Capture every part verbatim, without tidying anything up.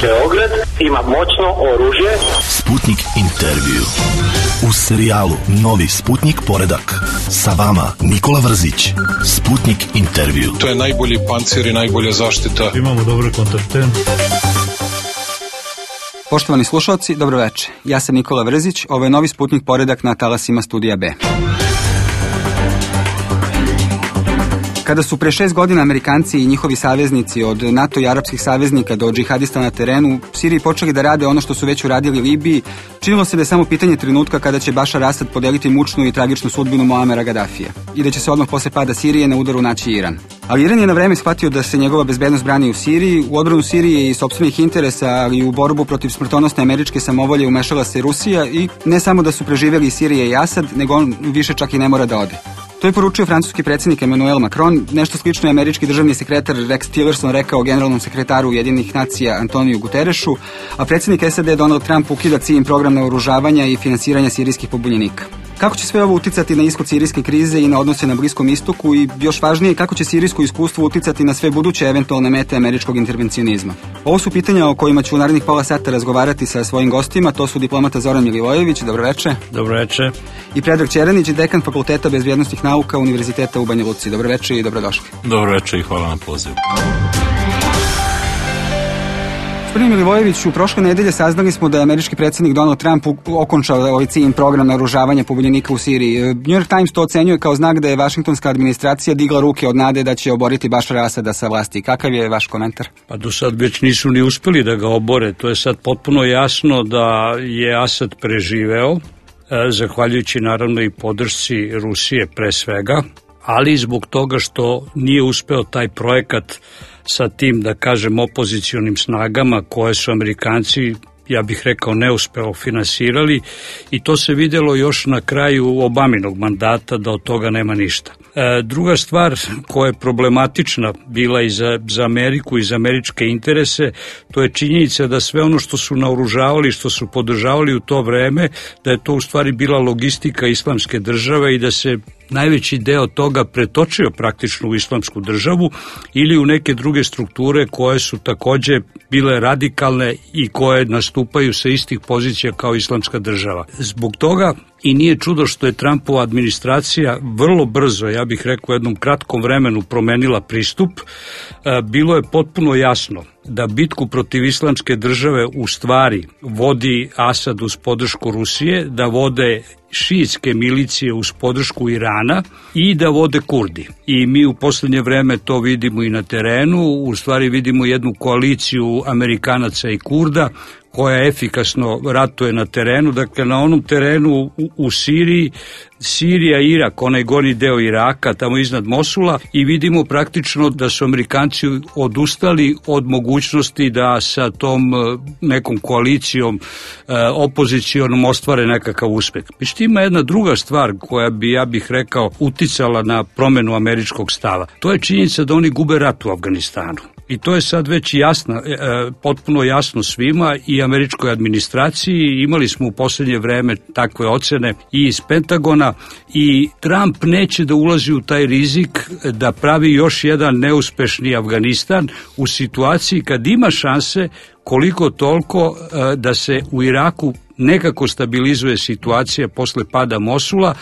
Beograd ima moćno oružje. Sputnik intervju. U serijalu Novi Sputnik poredak. Sa vama Nikola Vrzić. Sputnik intervju. To je najbolji pancir i najbolja zaštita. Imamo dobre kontakte. Poštovani slušalci, dobro večer. Ja sam Nikola Vrzić, ovo je Novi Sputnik poredak na talasima Studija B. Kada su pre šest godina Amerikanci i njihovi saveznici od NATO i arapskih saveznika do džihadista na terenu u Siriji počeli da rade ono što su već uradili Libiji, činilo se da je samo pitanje trenutka kada će Bašar Asad podeliti mučnu i tragičnu sudbinu Muamera Gadafija i da će se odmah posle pada Sirije na udaru naći Iran. Ali Iran je na vreme shvatio da se njegova bezbednost brani u Siriji, u odbranu Sirije i sopstvenih interesa, ali i u borbu protiv smrtonosne američke samovolje umešala se Rusija i ne samo da su preživjeli Sirije i Asad, nego on više čak i ne mora da ode. To je poručio francuski predsjednik Emmanuel Macron, nešto slično je američki državni sekretar Rex Tillerson rekao generalnom sekretaru Ujedinjenih nacija Antoniju Guterresu, a predsjednik S A D Donald Trump ukida C I M program naoružavanja i finansiranja sirijskih pobunjenika. Kako će sve ovo uticati na ishod sirijske krize i na odnose na Bliskom istoku i, još važnije, kako će sirijsko iskustvo uticati na sve buduće eventualne mete američkog intervencionizma? Ovo su pitanja o kojima ću u narednih pola sata razgovarati sa svojim gostima. To su diplomata Zoran Milivojević, dobroveče. Dobroveče. I Predrag Čeranić, dekan Fakulteta bezbjednosnih nauka Univerziteta u Banja Luci. Dobroveče i dobrodošli. Dobroveče i hvala na pozivu. Gospodin Milivojević, u prošle nedelje saznali smo da je američki predsjednik Donald Trump okončao ovaj C I M program naoružavanja pobunjenika u Siriji. New York Times to ocenjuje kao znak da je vašingtonska administracija digla ruke od nade da će oboriti Bašara Asada sa vlasti. Kakav je vaš komentar? Pa do sad već nisu ni uspeli da ga obore. To je sad potpuno jasno da je Asad preživeo, zahvaljujući naravno i podršci Rusije pre svega, ali zbog toga što nije uspeo taj projekat sa tim, da kažem, opozicionim snagama koje su Amerikanci, ja bih rekao, neuspeo finansirali, i to se vidjelo još na kraju Obaminog mandata da od toga nema ništa. E, druga stvar koja je problematična bila i za, za Ameriku i za američke interese, to je činjenica da sve ono što su naoružavali, što su podržavali u to vreme, da je to u stvari bila logistika islamske države i da se najveći deo toga pretočio praktično u islamsku državu ili u neke druge strukture koje su takođe bile radikalne i koje nastupaju sa istih pozicija kao islamska država. Zbog toga i nije čudo što je Trumpova administracija vrlo brzo, ja bih rekao u jednom kratkom vremenu, promenila pristup. Bilo je potpuno jasno da bitku protiv islamske države u stvari vodi Asad uz podršku Rusije, da vode šiitske milicije uz podršku Irana i da vode Kurdi. I mi u posljednje vreme to vidimo i na terenu, u stvari vidimo jednu koaliciju Amerikanaca i Kurda koja efikasno ratuje na terenu, dakle na onom terenu u, u Siriji, Sirija, Irak, onaj gornji deo Iraka, tamo iznad Mosula, i vidimo praktično da su Amerikanci odustali od mogućnosti da sa tom nekom koalicijom opozicionom ostvare nekakav uspeh. Međutim, ima jedna druga stvar koja bi, ja bih rekao, uticala na promenu američkog stava. To je činjenica da oni gube rat u Afganistanu. I to je sad već jasno, potpuno jasno svima i američkoj administraciji. Imali smo u posljednje vreme takve ocene i iz Pentagona, i Trump neće da ulazi u taj rizik da pravi još jedan neuspešni Afganistan u situaciji kad ima šanse koliko toliko da se u Iraku nekako stabilizuje situacija posle pada Mosula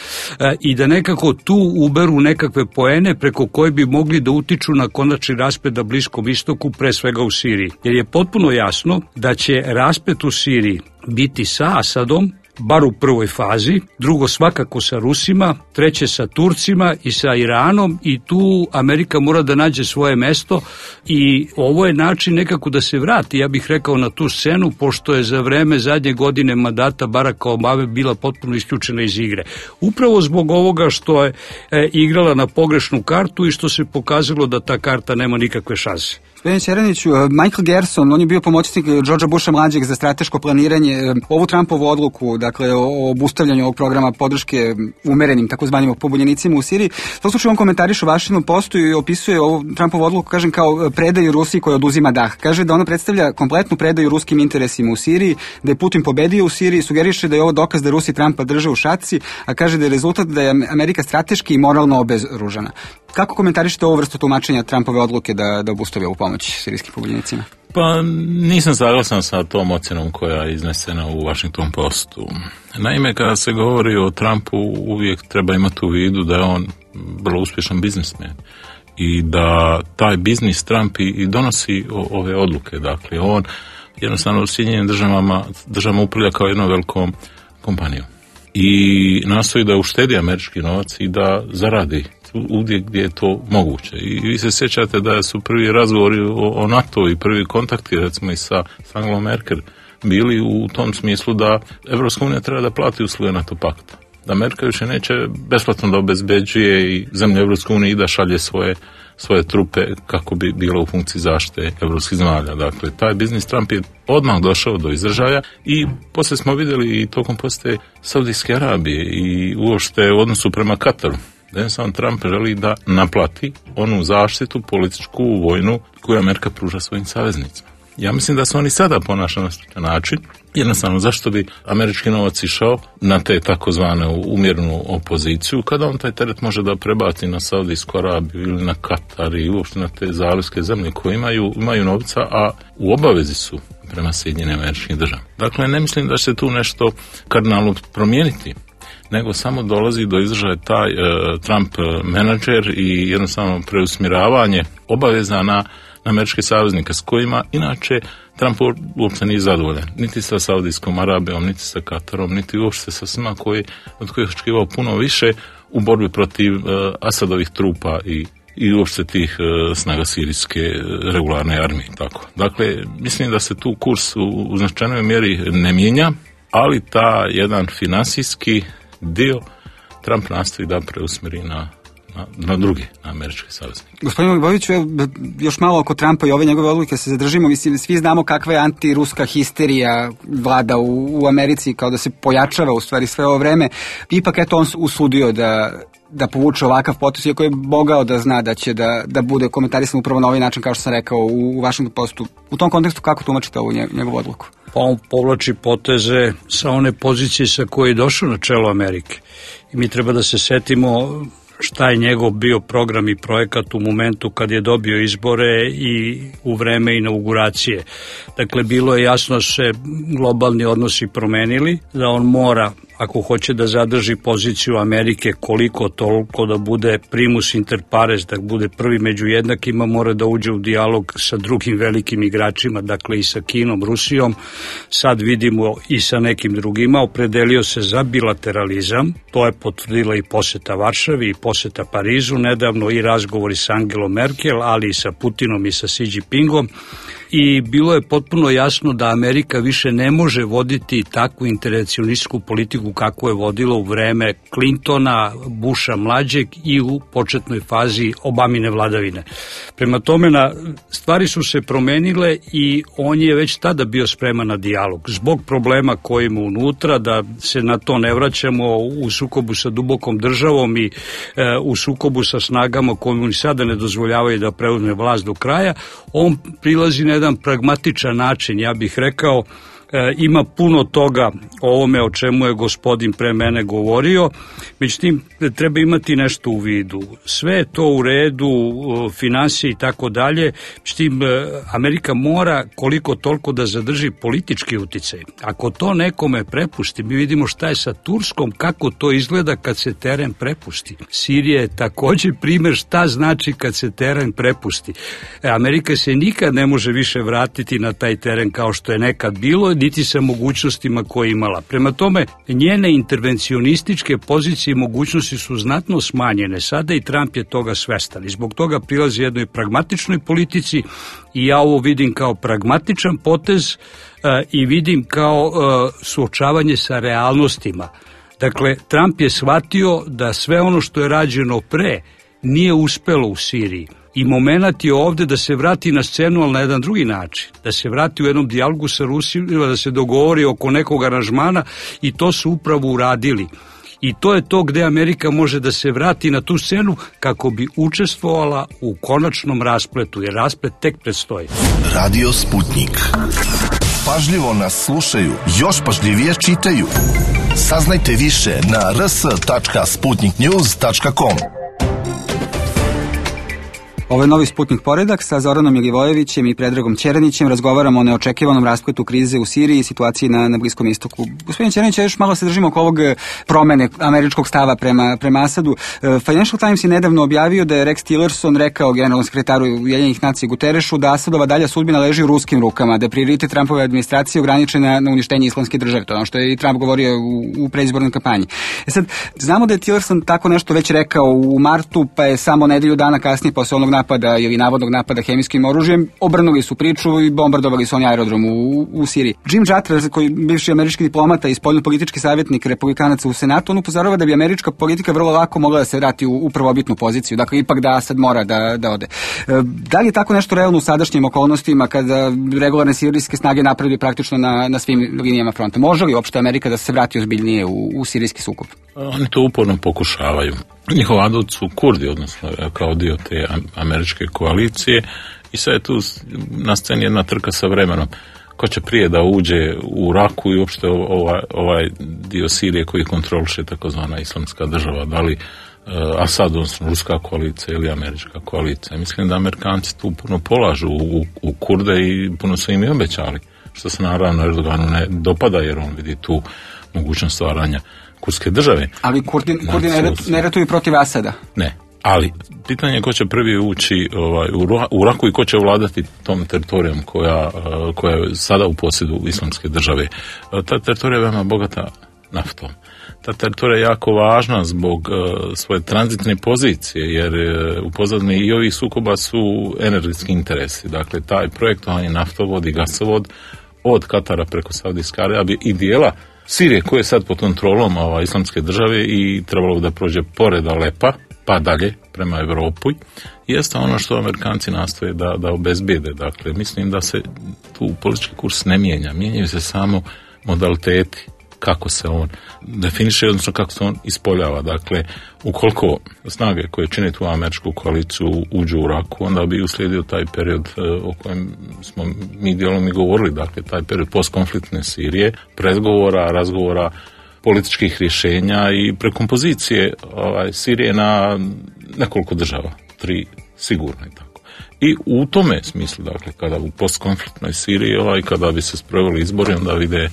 i da nekako tu uberu nekakve poene preko koje bi mogli da utiču na konačni rasplet na Bliskom istoku, pre svega u Siriji. Jer je potpuno jasno da će rasplet u Siriji biti sa Asadom, bar u prvoj fazi, drugo svakako sa Rusima, treće sa Turcima i sa Iranom, i tu Amerika mora da nađe svoje mesto i ovo je način nekako da se vrati, ja bih rekao, na tu scenu, pošto je za vreme zadnje godine mandata Baracka Obame bila potpuno isključena iz igre. Upravo zbog ovoga što je e, igrala na pogrešnu kartu i što se pokazalo da ta karta nema nikakve šanse. Gospodine Čeraniću, Michael Gerson, on je bio pomoćnik Georgea Busha mlađeg za strateško planiranje. Ovu Trumpovu odluku, dakle, o obustavljanju ovog programa podrške umerenim takozvanim pobunjenicima u Siriji, u tom slučaju on komentariše u Washington Postu i opisuje ovu Trumpovu odluku, kažem, kao predaju Rusiji koja oduzima dah. Kaže da ona predstavlja kompletnu predaju ruskim interesima u Siriji, da je Putin pobedio u Siriji, sugeriše da je ovo dokaz da Rusi Trumpa drže u šaci, a kaže da je rezultat da je Amerika strateški i moralno obezoružana. Kako komentarišete ovu vrstu tumačenja Trumpove odluke da, da obustavi ovu pomoć sirijskim pobunjenicima? Pa nisam saglasan sa tom ocjenom koja je iznesena u Washington Postu. Naime, kada se govori o Trumpu, uvijek treba imati u vidu da je on vrlo uspješan biznismen i da taj biznis Trump i donosi ove odluke. Dakle, on jednostavno u Sjedinjenim državama, državama upravlja kao jednom velikom kompanijom i nastoji da uštedi američki novac i da zaradi uvijek gdje je to moguće. I vi se sjećate da su prvi razgovori o, o NATO i prvi kontakti recimo i sa Angelom Merkel bili u tom smislu da Evropska unija treba da plati usluge NATO pakta. Da Amerika više neće besplatno da obezbeđuje i zemlje Evropske unije i da šalje svoje, svoje trupe kako bi bilo u funkciji zaštite evropskih zemalja. Dakle, taj biznis Trump je odmah došao do izražaja i poslije smo vidjeli i tokom poslije Saudijske Arabije i uopšte u odnosu prema Kataru. Da jednostavno Trump želi da naplati onu zaštitu političku, vojnu koju Amerika pruža svojim saveznicima. Ja mislim da se oni sada ponašaju na način, jednostavno zašto bi američki novac išao na te takozvane umjernu opoziciju, kada on taj teret može da prebaci na Saudijsku Arabiju ili na Katar i uopšte na te zalivske zemlje koje imaju, imaju novca, a u obavezi su prema Sjedinjenim Američkim Državama. Dakle, ne mislim da će se tu nešto kardinalno promijeniti, nego samo dolazi do izražaja taj e, Trump menadžer i jednostavno preusmjeravanje obaveza na, na američke saveznike s kojima inače Trump uopće nije zadovoljan. Niti sa Saudijskom Arabijom, niti sa Katarom, niti uopšte sa svima koji, od kojih očekivao puno više u borbi protiv e, Asadovih trupa i i uopšte tih e, snaga sirijske regularne armije. Tako. Dakle, mislim da se tu kurs u, u značajnoj mjeri ne mijenja, ali ta jedan finansijski dio Trump nastoji da preusmjeri na, na, na drugi, na američke saveznike. Gospodin Milivojeviću, još malo oko Trumpa i ove njegove odluke se zadržimo. Mislim, svi znamo kakva je antiruska histerija vlada u, u Americi, kao da se pojačava u stvari sve ovo vreme. Ipak eto on usudio da da povuče ovakav potez, iako je mogao da zna da će da, da bude komentarisan upravo na ovaj način, kao što sam rekao, u, u vašem postu. U tom kontekstu kako tumačite ovu njegovu odluku? Pa on povlači poteze sa one pozicije sa koje je došao na čelo Amerike. I mi treba da se setimo šta je njegov bio program i projekat u momentu kad je dobio izbore i u vreme inauguracije. Dakle, bilo je jasno da se globalni odnosi promenili, da on mora, ako hoće da zadrži poziciju Amerike koliko toliko da bude primus inter pares, da bude prvi među jednakima, mora da uđe u dijalog sa drugim velikim igračima, dakle i sa Kinom, Rusijom, sad vidimo i sa nekim drugima. Opredelio se za bilateralizam, to je potvrdila i poseta Varšavi i poseta Parizu, nedavno i razgovori sa Angelom Merkel, ali i sa Putinom i sa Xi Jinpingom. I bilo je potpuno jasno da Amerika više ne može voditi takvu intervencionističku politiku kako je vodila u vreme Clintona, Busha mlađeg i u početnoj fazi Obamine vladavine. Prema tome, na, stvari su se promenile i on je već tada bio spreman na dijalog. Zbog problema koji ima unutra, da se na to ne vraćamo, u sukobu sa dubokom državom i e, u sukobu sa snagama koje mu ni sada ne dozvoljavaju da preuzme vlast do kraja, on prilazi na jedan pragmatičan način, ja bih rekao. E, ima puno toga o ovome o čemu je gospodin pre mene govorio, međutim treba imati nešto u vidu. Sve je to u redu, finansije i tako dalje, međutim Amerika mora koliko toliko da zadrži politički uticaj. Ako to nekome prepusti, mi vidimo šta je sa Turskom, kako to izgleda kad se teren prepusti. Sirija je također primjer šta znači kad se teren prepusti. E, Amerika se nikad ne može više vratiti na taj teren kao što je nekad bilo, niti sa mogućnostima koje je imala. Prema tome, njene intervencionističke pozicije i mogućnosti su znatno smanjene. Sada i Trump je toga svestan i zbog toga prilazi jednoj pragmatičnoj politici i ja ovo vidim kao pragmatičan potez uh, i vidim kao uh, suočavanje sa realnostima. Dakle, Trump je shvatio da sve ono što je rađeno pre nije uspelo u Siriji. I momenat je ovde da se vrati na scenu, ali na jedan drugi način. Da se vrati u jednom dijalogu sa Rusijom, da se dogovori oko nekog aranžmana i to su upravo uradili. I to je to gde Amerika može da se vrati na tu scenu kako bi učestvovala u konačnom raspletu, jer rasplet tek predstoji. Radio Sputnik. Pažljivo nas slušaju, još pažljivije čitaju. Saznajte više na r s tačka sputnik news tačka com. Ovo je Novi Sputnik Poredak sa Zoranom Milivojevićem i Predragom Ćeranićem. Razgovaramo o neočekivanom raspletu krize u Siriji i situaciji na, na Bliskom istoku. Gospodin Ćeranić, još malo se držimo oko ovog promene američkog stava prema, prema Asadu. Financial Times je nedavno objavio da je Rex Tillerson rekao generalnom sekretaru Ujedinjenih nacija Guterešu da Asadova dalja sudbina leži u ruskim rukama, da je prioritet Trumpove administracije ograničen na, na uništenje islamske države. To je ono što je i Trump govorio u, u predizbornoj kampanji. E sad, znamo da je Tillerson tako nešto već rekao u martu, pa je samo nedelju dana kasnije posle onog napada ili navodnog napada hemijskim oružjem obrnuli su priču i bombardovali su oni aerodrom u, u Siriji. Jim Jatra, koji bivši američki diplomata i spoljnopolitički savjetnik republikanaca u Senatu, on upozorava da bi američka politika vrlo lako mogla da se vrati u, u prvobitnu poziciju. Dakle, ipak da Asad mora da, da ode. E, da li je tako nešto realno u sadašnjim okolnostima kada regularne sirijske snage napreduju praktično na, na svim linijama fronta? Može li uopšte Amerika da se vrati ozbiljnije u, u sirijski sukob? Oni to uporno pokušavaju. Njihov adut su Kurdi, odnosno kao dio te američke koalicije, i sad je tu na sceni jedna trka sa vremenom. Ko će prije da uđe u Raku i uopšte ovaj, ovaj dio Sirije koji kontroliše takozvana islamska država, da li uh, Asad, odnosno ruska koalicija ili američka koalicija. Mislim da Amerikanci tu puno polažu u, u Kurde i puno su im i obećali, što se naravno Erdoganu ne dopada jer on vidi tu mogućnost stvaranja kurdske države. Ali Kurdi, Kurdi ne, ne ratuju protiv Asada? Ne. Ali pitanje je ko će prvi ući ovaj, u Raku i ko će vladati tom teritorijom koja, koja je sada u posjedu islamske države. Ta teritorija je veoma bogata naftom. Ta teritorija je jako važna zbog uh, svoje tranzitne pozicije, jer uh, u pozadini i ovih sukoba su energetski interesi. Dakle, taj projektovanje naftovod i gasovod od Katara preko Saudijske Arabije i dijela Sirije koje je sad pod kontrolom ova, islamske države i trebalo da prođe pored Alepa pa dalje prema Europi, jeste ono što Amerikanci nastoje da, da obezbijede. Dakle, mislim da se tu politički kurs ne mijenja. Mijenjaju se samo modaliteti kako se on definiše, odnosno kako se on ispoljava. Dakle, ukoliko snage koje čine tu američku koaliciju uđu u Raku, onda bi uslijedio taj period o kojem smo mi dijelom i govorili, dakle, taj period postkonfliktne Sirije, pregovora, razgovora, političkih rješenja i prekompozicije ovaj, Sirije na nekoliko država, tri sigurno i tako. I u tome smislu, dakle, kada u postkonfliktnoj Siriji, ovaj, kada bi se sproveli izbori, onda vide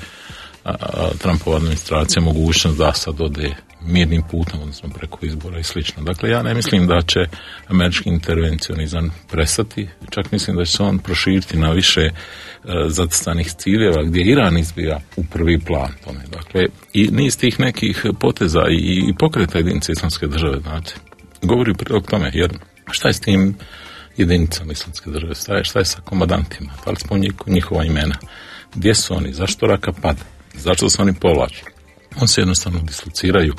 a, a, Trumpova administracija mogućnost da sad ode mirnim putem, odnosno preko izbora i slično. Dakle, ja ne mislim da će američki intervencionizam prestati, čak mislim da će se on proširiti na više e, zacrtanih ciljeva gdje Iran izbija u prvi plan tome. Dakle, i niz tih nekih poteza i, i pokreta jedinice islamske države, znate, govori u prilog tome, jer šta je s tim jedinicama islamske države, šta je, šta je sa komandantima, da li spominje njihova imena, gdje su oni, zašto Raka pada, zašto se oni povlaču. On se jednostavno dislociraju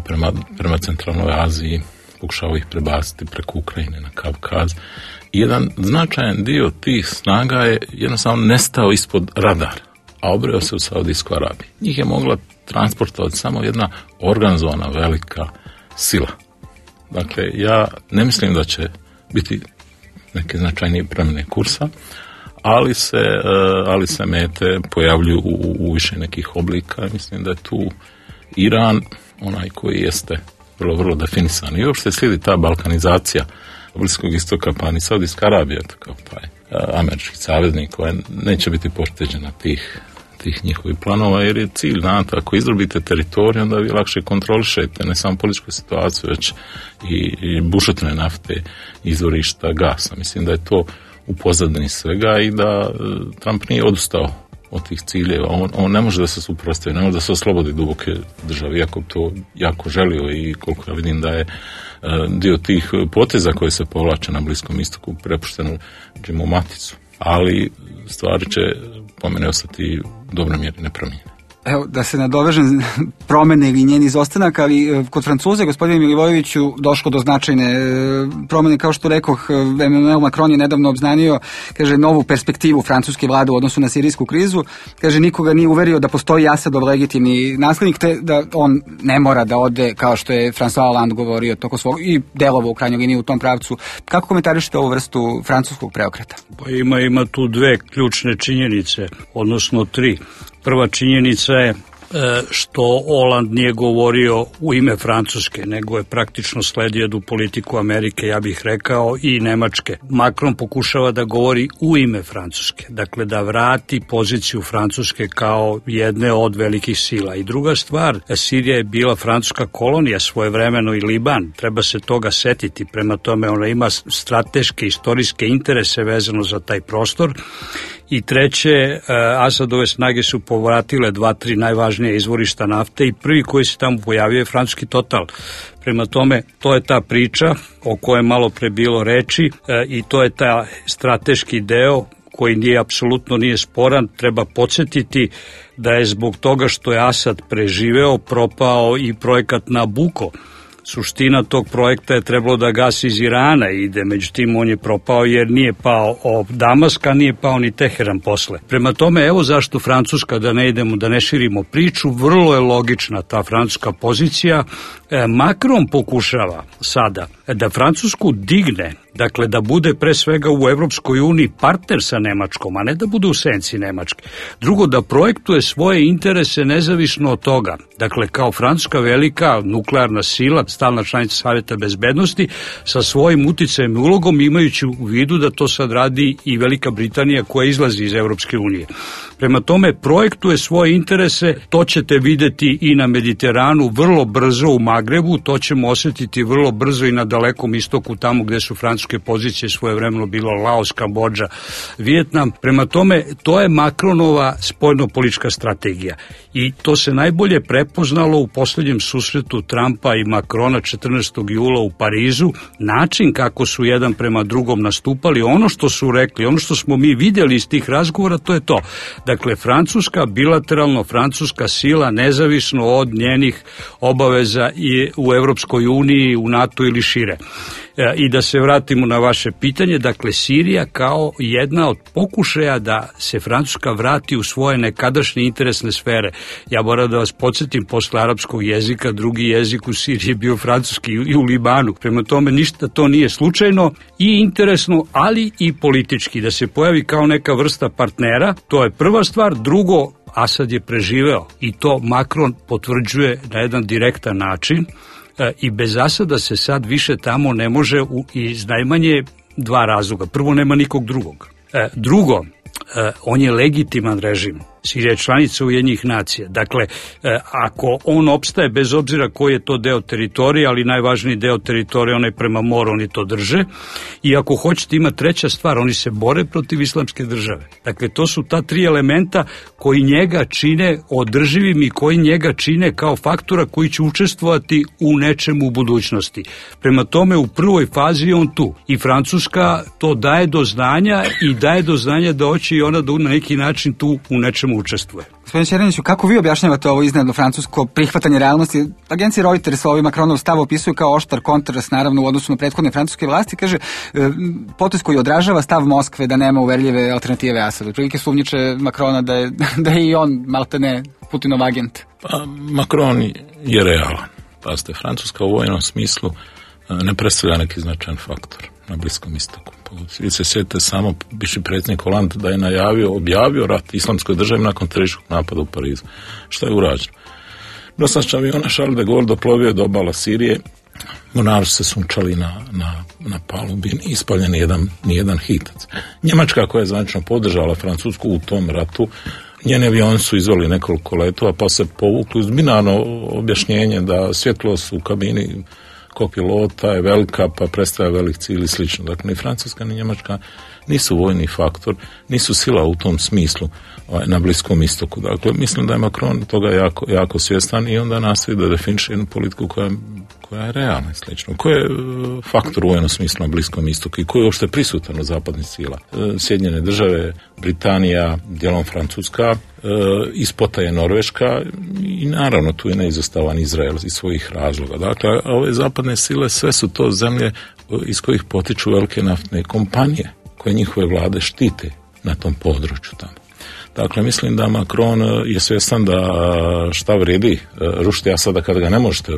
prema, prema centralnoj Aziji, pokušavaju ih prebaciti preko Ukrajine na Kavkaz. I jedan značajan dio tih snaga je jednostavno nestao ispod radara, a obreo se u Saudijsku Arabiju. Njih je mogla transportovati samo jedna organizovana velika sila. Dakle, ja ne mislim da će biti neke značajnije promjene kursa, ali se, ali se mete pojavljuju u, u više nekih oblika. Mislim da je tu Iran onaj koji jeste vrlo, vrlo definisan. I uopšte slijedi ta balkanizacija Bliskog istoka, pa ni Saudijska Arabija, kao taj američki saveznik koja neće biti pošteđena tih, tih njihovih planova, jer je cilj, znate, ako izdrobite teritorij, onda vi lakše kontrolišete ne samo političku situaciju, već i, i bušotine nafte, izvorišta gasa. Mislim da je to u pozadini svega i da Trump nije odustao od tih ciljeva. On, on ne može da se suprotstavi, ne može da se oslobodi duboke države, iako to jako želio i koliko ja vidim da je uh, dio tih poteza koje se povlače na Bliskom istoku prepušteno Jimu Matisu. Ali stvari će po mene ostati u dobroj mjeri nepromijenjene. Evo, da se nadovežem promene ili njen izostanak, ali kod Francuze, gospodine Milivojeviću, došlo do značajne promene, kao što rekoh, Emmanuel Macron je nedavno obznanio, kaže, novu perspektivu francuske vlade u odnosu na sirijsku krizu, kaže, nikoga nije uverio da postoji Asadov legitimni naslednik, te da on ne mora da ode, kao što je François Hollande govorio toko svog, i delovo u krajnjoj liniji u tom pravcu. Kako komentarišete ovu vrstu francuskog preokreta? Pa ima, ima tu dve ključne činjenice, odnosno tri. Prva činjenica je što Hollande nije govorio u ime Francuske, nego je praktično sledio jednu politiku Amerike, ja bih rekao, i Nemačke. Macron pokušava da govori u ime Francuske, dakle da vrati poziciju Francuske kao jedne od velikih sila. I druga stvar, Sirija je bila francuska kolonija svojevremeno i Liban, treba se toga setiti, prema tome ona ima strateške, istorijske interese vezano za taj prostor. I treće, Asadove snage su povratile dva, tri najvažnije izvorišta nafte i prvi koji se tamo pojavio je francuski Total. Prema tome, to je ta priča o kojoj malo pre bilo reči i to je ta strateški deo koji nije apsolutno nije sporan. Treba podsjetiti da je zbog toga što je Asad preživeo propao i projekat Nabucco. Suština tog projekta je trebalo da gasi iz Irana i ide, međutim on je propao jer nije pao od Damaska, nije pao ni Teheran posle. Prema tome, evo zašto Francuska, da ne idemo, da ne širimo priču, vrlo je logična ta francuska pozicija. E, Macron pokušava sada da Francusku digne, dakle da bude pre svega u Evropskoj uniji partner sa Nemačkom, a ne da bude u senci Nemačke. Drugo, da projektuje svoje interese nezavisno od toga. Dakle, kao Francuska velika nuklearna sila, stalna članica Saveta bezbednosti, sa svojim uticajem i ulogom, imajući u vidu da to sad radi i Velika Britanija koja izlazi iz Evropske unije. Prema tome, projektuje svoje interese, to ćete videti i na Mediteranu vrlo brzo u Magrebu, to ćemo osjetiti vrlo brzo i na Dalekom istoku, tamo gde su francuske pozicije svojevremeno bilo Laos, Kambodža, Vijetnam. Prema tome, to je Macronova spoljnopolitička strategija. I to se najbolje prepoznalo u poslednjem susretu Trumpa i Macrona četrnaestog jula u Parizu, način kako su jedan prema drugom nastupali, ono što su rekli, ono što smo mi vidjeli iz tih razgovora, to je to. Dakle, Francuska, bilateralno francuska sila, nezavisno od njenih obaveza i u Evropskoj uniji, u NATO ili šire. I da se vratimo na vaše pitanje, dakle Sirija kao jedna od pokušaja da se Francuska vrati u svoje nekadašnje interesne sfere. Ja moram da vas podsjetim, posle arapskog jezika, drugi jezik u Siriji je bio francuski i u Libanu. Prema tome ništa to nije slučajno i interesno, ali i politički. Da se pojavi kao neka vrsta partnera, to je prva stvar. Drugo, Asad je preživeo i to Macron potvrđuje na jedan direktan način. I bez Asada se sad više tamo ne može u, iz najmanje dva razloga. Prvo, nema nikog drugog. E, drugo, e, on je legitiman režim. Sirija je članica Ujedinjenih nacija. Dakle, e, ako on opstaje, bez obzira koji je to deo teritorije, ali najvažniji deo teritorije, onaj prema moru, oni to drže. I ako hoćete, ima treća stvar, oni se bore protiv islamske države. Dakle, to su ta tri elementa koji njega čine održivim i koji njega čine kao faktora koji će učestvovati u nečemu u budućnosti. Prema tome, u prvoj fazi je on tu. I Francuska to daje do znanja i daje do znanja da hoće i ona da na neki način tu u nečemu učestvuje. Gospodin Čereniću, kako vi objašnjavate ovo iznenadno francusko prihvatanje realnosti? Agencija Reuters ovaj Macronov stav opisuje kao oštar kontrast, naravno, u odnosu na prethodne francuske vlasti. Kaže, potez koji odražava stav Moskve da nema uverljive alternative Asadu. Prilike sumnjiče Macrona da je, da je i on maltene Putinov agent. Pa, Macron je realan. Pazite, Francuska u vojnom smislu ne predstavlja neki značajan faktor na Bliskom istoku. Vi se sjetite samo bivši predsjednik Hollande da je najavio, objavio rat islamskoj državi nakon terorističkog napada u Parizu. Šta je urađeno? Nosač aviona Charles de Gaulle doplovio do obala Sirije, mornari se sunčali na, na, na palubi, ispaljen jedan, nijedan hitac. Njemačka, koja je zvanično podržala Francusku u tom ratu, njeni avioni su izveli nekoliko letova pa se povukli uz binarno objašnjenje da svjetlost u kabini kopilota je velika pa predstavlja velik cilj i slično. Dakle, ni Francuska ni Njemačka nisu vojni faktor, nisu sila u tom smislu na Bliskom istoku. Dakle, mislim da je Macron toga jako, jako svjestan i onda nastoji da definiše jednu politiku koja, koja je realna i slično. Koji je faktor u vojnom smislu na Bliskom istoku i koji je uopšte prisutan u zapadnih sila? Sjedinjene države, Britanija, dijelom Francuska, ispota je Norveška i naravno tu je neizostavan Izrael iz svojih razloga. Dakle, ove zapadne sile sve su to zemlje iz kojih potiču velike naftne kompanije koje njihove vlade štite na tom području tamo. Dakle, mislim da Macron je svjestan da šta vredi rušiti, a sada kada ga ne možete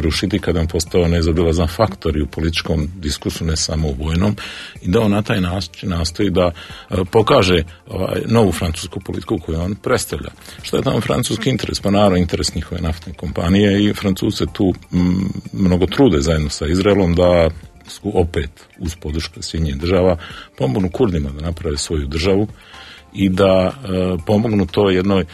rušiti, kada on postao nezaobilazan faktor i u političkom diskursu, ne samo u vojnom, i da on na taj način nastoji da pokaže ovaj, novu francusku politiku koju on predstavlja. Što je tamo francuski interes? Pa naravno interes njihove naftne kompanije i Francuze tu m, mnogo trude zajedno sa Izraelom da su opet uz podršku Sjedinjenih država pomognu Kurdima da naprave svoju državu i da e, pomognu to jednoj e,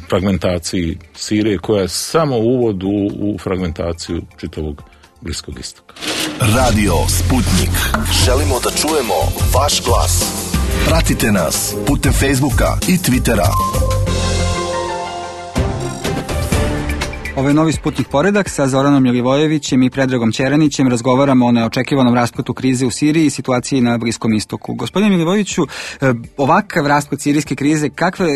fragmentaciji Sirije koja je samo uvod u, u fragmentaciju čitavog Bliskog istoka. Radio Sputnik. Želimo da čujemo vaš glas. Pratite nas putem Facebooka i Twittera. Ovo je novi Sputnik poredak sa Zoranom Milivojevićem i Predragom Ćeranićem. Razgovaramo o neočekivanom raspletu krize u Siriji i situaciji na Bliskom istoku. Gospodine Milivojeviću, ovakav rasplet sirijske krize, kakve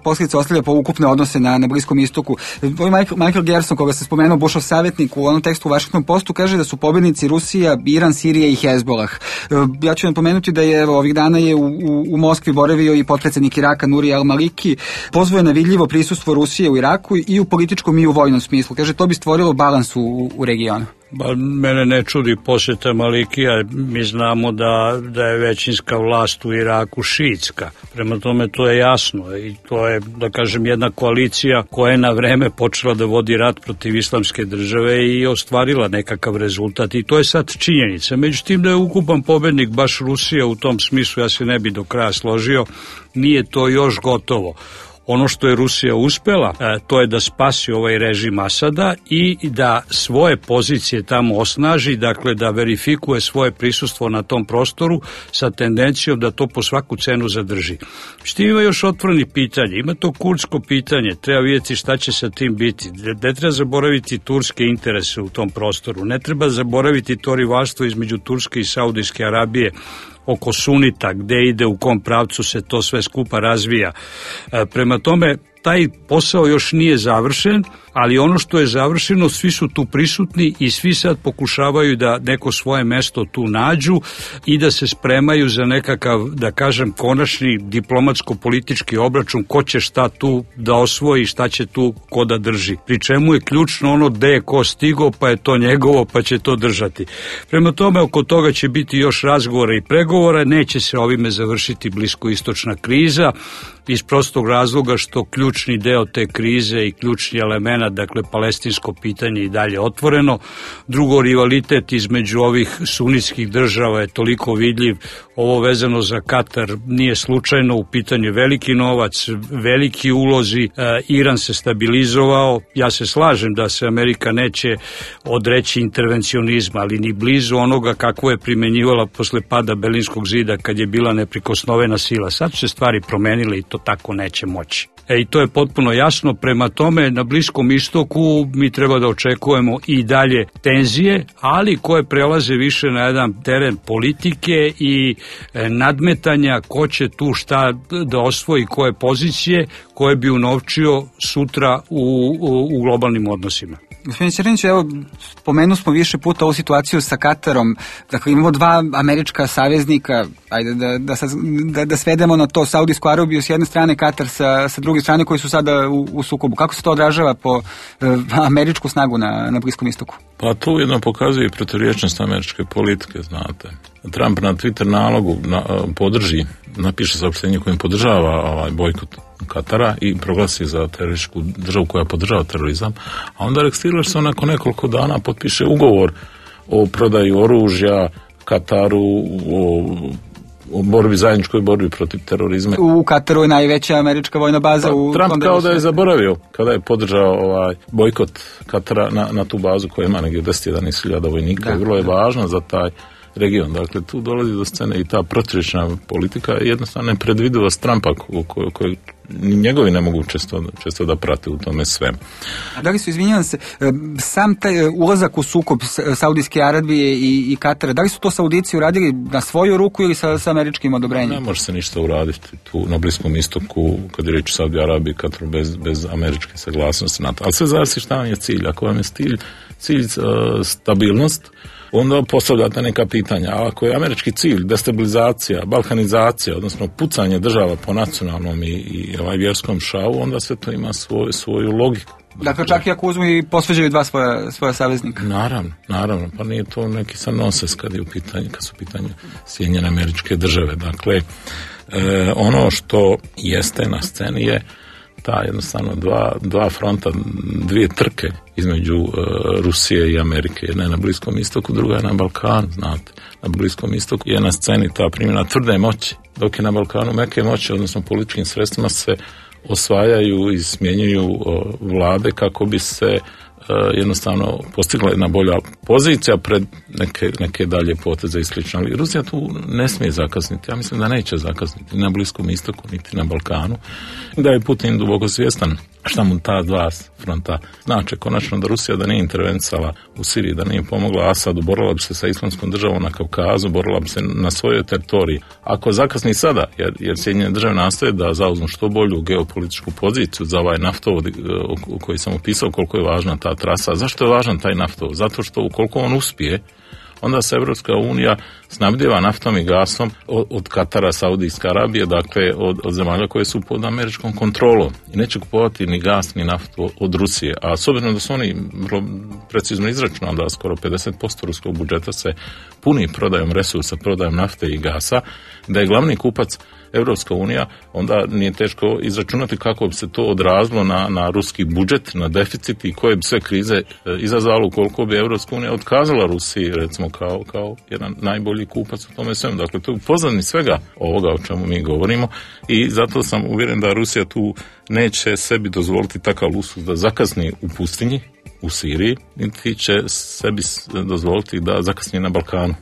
posljedice ostavlja po ukupne odnose na, na Bliskom istoku? Ovo je Michael Gerson, koga se spomenuo, Bushov savjetnik, u onom tekstu u Washington Postu kaže da su pobjednici Rusija, Iran, Sirija i Hezbolah. Ja ću vam pomenuti da je evo, ovih dana je u, u, u Moskvi boravio i potpredsjednik Iraka Nuri al-Maliki, pozvao je na vidljivo prisustvo Rusije u Iraku i u političkom i u vojnom smislu. Kaže, to bi stvorilo balans u, u regionu. Ba, mene ne čudi posjeta Malikija, mi znamo da, da je većinska vlast u Iraku šiitska. Prema tome to je jasno i to je, da kažem, jedna koalicija koja je na vreme počela da vodi rat protiv islamske države i ostvarila nekakav rezultat i to je sad činjenica. Međutim, da je ukupan pobednik baš Rusija u tom smislu, ja se ne bi do kraja složio, nije to još gotovo. Ono što je Rusija uspela, to je da spasi ovaj režim Asada i da svoje pozicije tamo osnaži, dakle da verifikuje svoje prisustvo na tom prostoru sa tendencijom da to po svaku cenu zadrži. Što ima još otvoreni pitanje, ima to kurdsko pitanje, treba vidjeti šta će sa tim biti. Ne treba zaboraviti turske interese u tom prostoru, ne treba zaboraviti to rivalstvo između Turske i Saudijske Arabije oko sunita, gde ide, u kom pravcu se to sve skupa razvija. E, prema tome, taj posao još nije završen, ali ono što je završeno, svi su tu prisutni i svi sad pokušavaju da neko svoje mesto tu nađu i da se spremaju za nekakav, da kažem, konačni diplomatsko-politički obračun, ko će šta tu da osvoji, šta će tu ko da drži. Pri čemu je ključno ono gde je ko stigo, pa je to njegovo, pa će to držati. Prema tome, oko toga će biti još razgovora i pregovora, neće se ovime završiti bliskoistočna kriza, iz prostog razloga što ključni deo te krize i ključni element, dakle palestinsko pitanje i dalje otvoreno. Drugo, rivalitet između ovih sunitskih država je toliko vidljiv. Ovo vezano za Katar nije slučajno, u pitanju veliki novac, veliki ulozi, e, Iran se stabilizovao. Ja se slažem da se Amerika neće odreći intervencionizma, ali ni blizu onoga kako je primenjivala posle pada Berlinskog zida kad je bila neprikosnovena sila. Sad su se stvari promenile i to tako neće moći. E, i to je potpuno jasno, prema tome na Bliskom istoku mi treba da očekujemo i dalje tenzije, ali koje prelaze više na jedan teren politike i e, nadmetanja ko će tu šta da osvoji, koje pozicije koje bi unovčio sutra u, u, u globalnim odnosima. Gospodin Ćeranić, evo, spomenuli smo više puta ovu situaciju sa Katarom. Dakle, imamo dva američka saveznika, ajde da, da, da, da svedemo na to, Saudijsku Arabiju s jedne strane, Katar sa, sa druge strane, koji su sada u, u sukobu. Kako se to odražava po eh, američku snagu na, na Bliskom istoku? Pa tu jedno pokazuje proturječnost američke politike, znate. Trump na Twitter nalogu na, podrži, napiše saopštenje kojim podržava ovaj bojkot Katara i proglasi za terorističku državu koja podržava terorizam, a onda Rex Tillerson nakon nekoliko dana potpiše ugovor o prodaji oružja Kataru, o, o borbi, zajedničkoj borbi protiv terorizma. U Kataru je najveća američka vojna baza. Pa, u Trump kao da je zaboravio kada je podržao ovaj bojkot Katara na, na tu bazu koja ima negdje deset do jedanaest hiljada vojnika. Da, vrlo je da. važna za taj region. Dakle, tu dolazi do scene i ta proturječna politika je jednostavno nepredvidivost Trumpa koju ko, njegovi ne mogu često, često da prate u tome svemu. A da li su, izvinjavam se, sam taj ulazak u sukob Saudijske Arabije i, i Katara, da li su to Saudici uradili na svoju ruku ili sa, sa američkim odobrenjem? Ne može se ništa uraditi tu na Bliskom istoku, kad je reč o Saudi Arabiji i Kataru bez, bez američke saglasnosti NATO. Ali sve zavisi šta vam je cilj. Ako vam je cilj cilj uh, stabilnost, onda postavljate neka pitanja. A ako je američki cilj destabilizacija, balkanizacija, odnosno pucanje država po nacionalnom i, i ovaj vjerskom šavu, onda sve to ima svoj, svoju logiku. Dakle, čak i ako uzmu i posveđaju dva svoja, svoja saveznika. Naravno, naravno, pa nije to neki sad noses kad je u pitanju, kad su u pitanju Sjedinjene Američke Države. Dakle, e, ono što jeste na sceni je ta jednostavno dva, dva fronta, dvije trke između e, Rusije i Amerike. Jedna je na Bliskom istoku, druga je na Balkanu, znate. Na Bliskom istoku je na sceni ta primjena tvrde moći, dok je na Balkanu meke moći, odnosno političkim sredstvima se osvajaju i smjenjuju o, vlade kako bi se e, jednostavno postigla jedna bolja pozicija pred neke, neke dalje poteze i slično. Ali Rusija tu ne smije zakasniti. Ja mislim da neće zakasniti ni na Bliskom istoku, niti na Balkanu. Da je Putin duboko svjestan šta mu ta dva fronta znači. Konačno da Rusija da nije intervencala u Siriji, da nije pomogla Asadu, borila bi se sa Islamskom državom na Kavkazu, borila bi se na svojoj teritoriji. Ako zakasni sada, jer, jer Sjedinjene države nastoje da zauzmu što bolju geopolitičku poziciju za ovaj naftovod o koji sam opisao koliko je važna ta trasa. Zašto je važan taj naftovod? Zato što ukoliko on uspije, onda se Evropska unija snabdijeva naftom i gasom od, od Katara, Saudijske Arabije, dakle od, od zemalja koje su pod američkom kontrolom i neće kupovati ni gas ni naftu od Rusije, a s obzirom da su oni vrlo precizno izračunali da skoro pedeset posto ruskog budžeta se puni prodajom resursa, prodajom nafte i gasa, da je glavni kupac Evropska unija, onda nije teško izračunati kako bi se to odrazilo na, na ruski budžet, na deficit i koje bi sve krize e, izazvalo ukoliko bi Evropska unija otkazala Rusiji, recimo, kao, kao jedan najbolji kupac u tome svemu. Dakle, to je pozadini svega ovoga o čemu mi govorimo i zato sam uvjeren da Rusija tu neće sebi dozvoliti takav luksuz da zakasni u pustinji, u Siriji, niti će sebi dozvoliti da zakasni na Balkanu.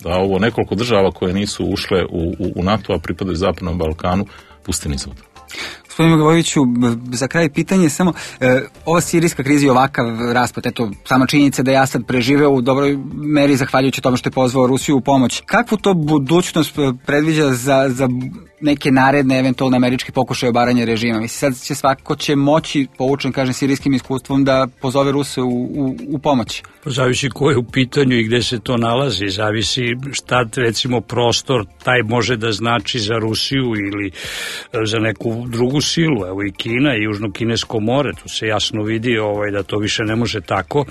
Da ovo nekoliko država koje nisu ušle u, u, u NATO, a pripadaju Zapadnom Balkanu, pusti niz voda. Gospodine Milivojeviću, za kraj pitanje samo, e, ova sirijska kriza i ovakav raspad, eto, sama činjenica da je Asad preživeo u dobroj meri zahvaljujući tome što je pozvao Rusiju u pomoć. Kakvu to budućnost predviđa za, za neke naredne eventualne američke pokušaje obaranja režima? Mislim, sad će svako će moći, poučen, kažem, sirijskim iskustvom, da pozove Ruse u, u, u pomoć. Zavisi ko je u pitanju i gde se to nalazi, zavisi šta, recimo, prostor taj može da znači za Rusiju ili za neku drugu silu. Evo i Kina i Južno-Kinesko more, tu se jasno vidi ovaj, da to više ne može tako.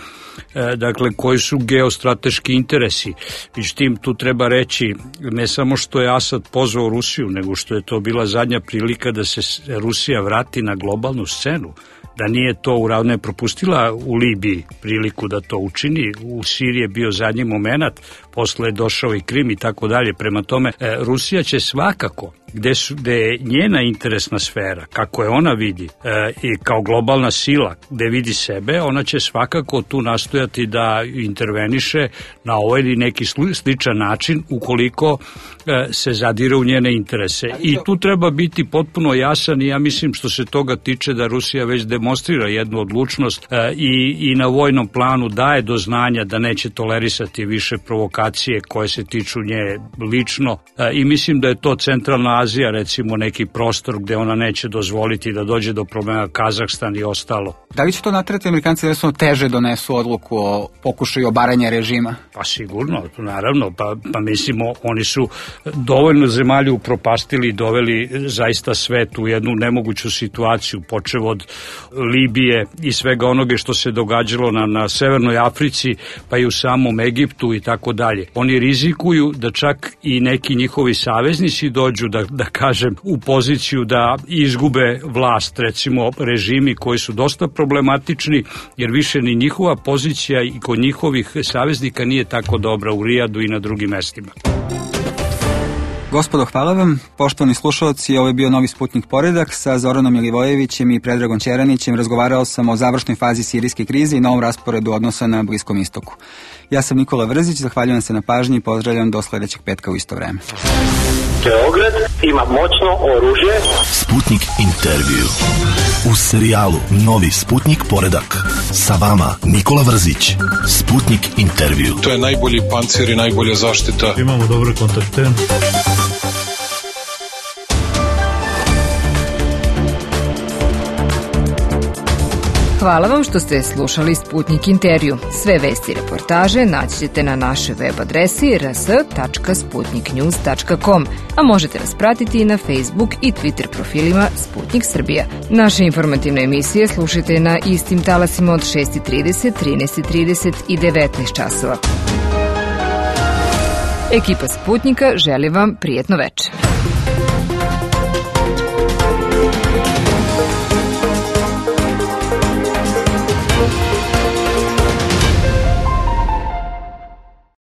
E, dakle, koji su geostrateški interesi. Međutim, tu treba reći ne samo što je Asad pozvao Rusiju, nego što je to bila zadnja prilika da se Rusija vrati na globalnu scenu. Da nije to uravne propustila u Libiji priliku da to učini, u Siriji je bio zadnji moment, posle je došao i Krim i tako dalje. Prema tome, Rusija će svakako, gde, su, gde je njena interesna sfera, kako je ona vidi, e, i kao globalna sila, gde vidi sebe, ona će svakako tu nastojati da interveniše na ovaj ili neki sličan način ukoliko e, se zadire u njene interese. I tu treba biti potpuno jasan i ja mislim što se toga tiče da Rusija već demonstrira jednu odlučnost e, i, i na vojnom planu daje do znanja da neće tolerisati više provokacije koje se tiču nje lično e, i mislim da je to centralna Azija, recimo neki prostor gde ona neće dozvoliti da dođe do problema, Kazahstan i ostalo. Da li će to naterati Amerikanci da su teže donesu odluku o pokušaju obaranja režima? Pa sigurno, naravno, pa, pa mislimo, oni su dovoljno zemalju upropastili i doveli zaista svet u jednu nemoguću situaciju, počev od Libije i svega onoga što se događalo na, na Severnoj Africi, pa i u samom Egiptu i tako dalje. Oni rizikuju da čak i neki njihovi saveznici dođu, da, da kažem, u poziciju da izgube vlast, recimo režimi koji su dosta problematični, jer više ni njihova pozicija i kod njihovih saveznika nije tako dobra u Rijadu i na drugim mestima. Gospodo, hvala vam. Poštovani slušalci, ovo je bio Novi Sputnik Poredak sa Zoranom Milivojevićem i Predragom Ćeranićem. Razgovarao sam o završnoj fazi sirijske krize i novom rasporedu odnosa na Bliskom istoku. Ja sam Nikola Vrzić, zahvaljujem se na pažnji i pozdravljam do sledećeg petka u isto vreme. Beograd ima moćno oružje. Sputnik intervju. U serijalu Novi Sputnik Poredak. Sa vama Nikola Vrzić. Sputnik intervju. To je najbolji pancir i najbolja zaštita. Imamo dobre kontakte. Hvala vam što ste slušali Sputnik intervju. Sve vesti i reportaže naći ćete na našoj web adresi r s tačka sputnik news tačka com, a možete nas pratiti i na Facebook i Twitter profilima Sputnik Srbija. Naše informativne emisije slušajte na istim talasima od šest i trideset, trinaest i trideset i devetnaest časova. Ekipa Sputnika želi vam prijetno večer.